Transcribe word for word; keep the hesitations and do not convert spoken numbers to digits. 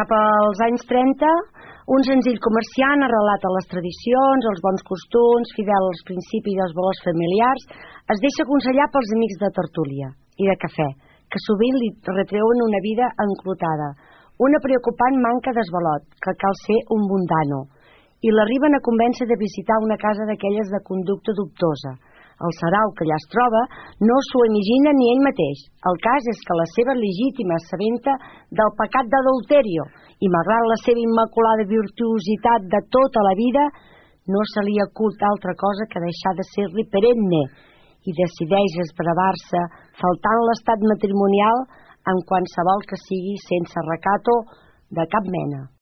cap als anys trenta, un senzill comerciant arrelat a les tradicions, als bons costums, fidel als principis i als valors familiars, es deixa aconsellar pels amics de tertúlia i de cafè, que sovint li retreuen una vida enclotada, una preocupant manca d'esvalot, que cal ser un mundano, i l'arriben a convèncer de visitar una casa d'aquelles de conducta dubtosa. El sarau que allà es troba no s'ho imagina ni ell mateix. El cas és que la seva legítima s'aventa del pecat d'adulterio i, malgrat la seva immaculada virtuositat de tota la vida, no se li acut altra cosa que deixar de ser-li perenne i decideix esbravar-se faltant l'estat matrimonial en qualsevol que sigui sense recato de cap mena.